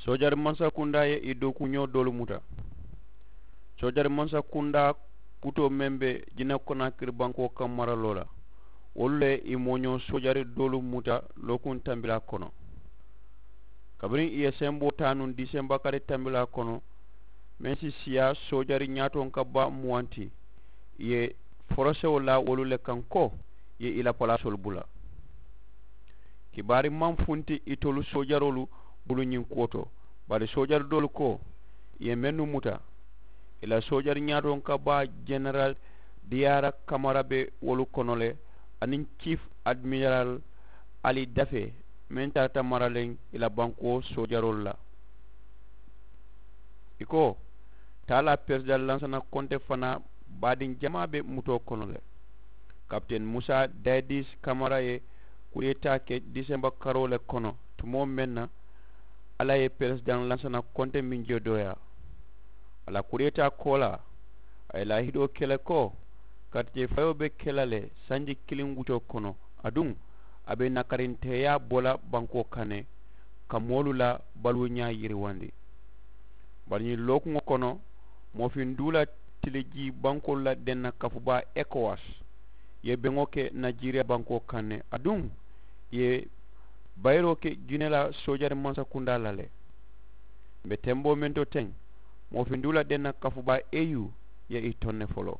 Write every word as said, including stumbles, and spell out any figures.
Soojari mansakundaa ye i dookuñoo doolu muta. Soojari mansakundaa kutoo meŋ be jinekonakiri bankoo kaŋ maraloo la, wolu le i mooñoo soojari doolu muta lookuŋ tambilaa kono. Kabiriŋ i ye semboo taa nuŋ disemba kari tambilaa kono, meŋ si siyaa soojari ñaatoŋ ka baa muwanti, i ye forosewo laa wolu le kaŋ ko i ye i la palaasoolu bula. Kibaari maŋ funti itolu soojaroolu bulu ñiŋ kuwo to, bari soojari doolu ko i ye mennu muta, i la soojari ñaatoŋ ka baa jeneral diyaara kamara be wolu kono le, aniŋ ciif adimiral ali dafe, meŋ tarata maraleŋ i la bankoo soojaroolu la. I ko taalaa peresidaŋ lansana konte fanaa baadiŋ jamaa be mutoo kono le. Kapiten musa dayidis kamara ye kudeetaa ke disemba karoo le kono tumoo meŋ na, alla ye peresidaŋ lansana konte meŋ je dooyaa. A la kudeetaa koolaa, a ye laahidoo ke le ko katijee fayoo be ke la le sanji kiliŋ wuccoo kono, aduŋ a be nakarinteeyaa bo la bankoo kaŋ ne, ka moolu la baluuñaa yiriwandi. Bari ñiŋ lookuŋo kono, moofinduula tilijii bankoolu la denna kafubaa ekowas ye beŋo ke najeriya bankoo kaŋ ne, aduŋ i ye bayiroo ke gine la soojari mansakundaa la le. Mbe temboo meŋ to teŋ, moofinduula denna kafubaa eyu ye i toŋ ne foloo.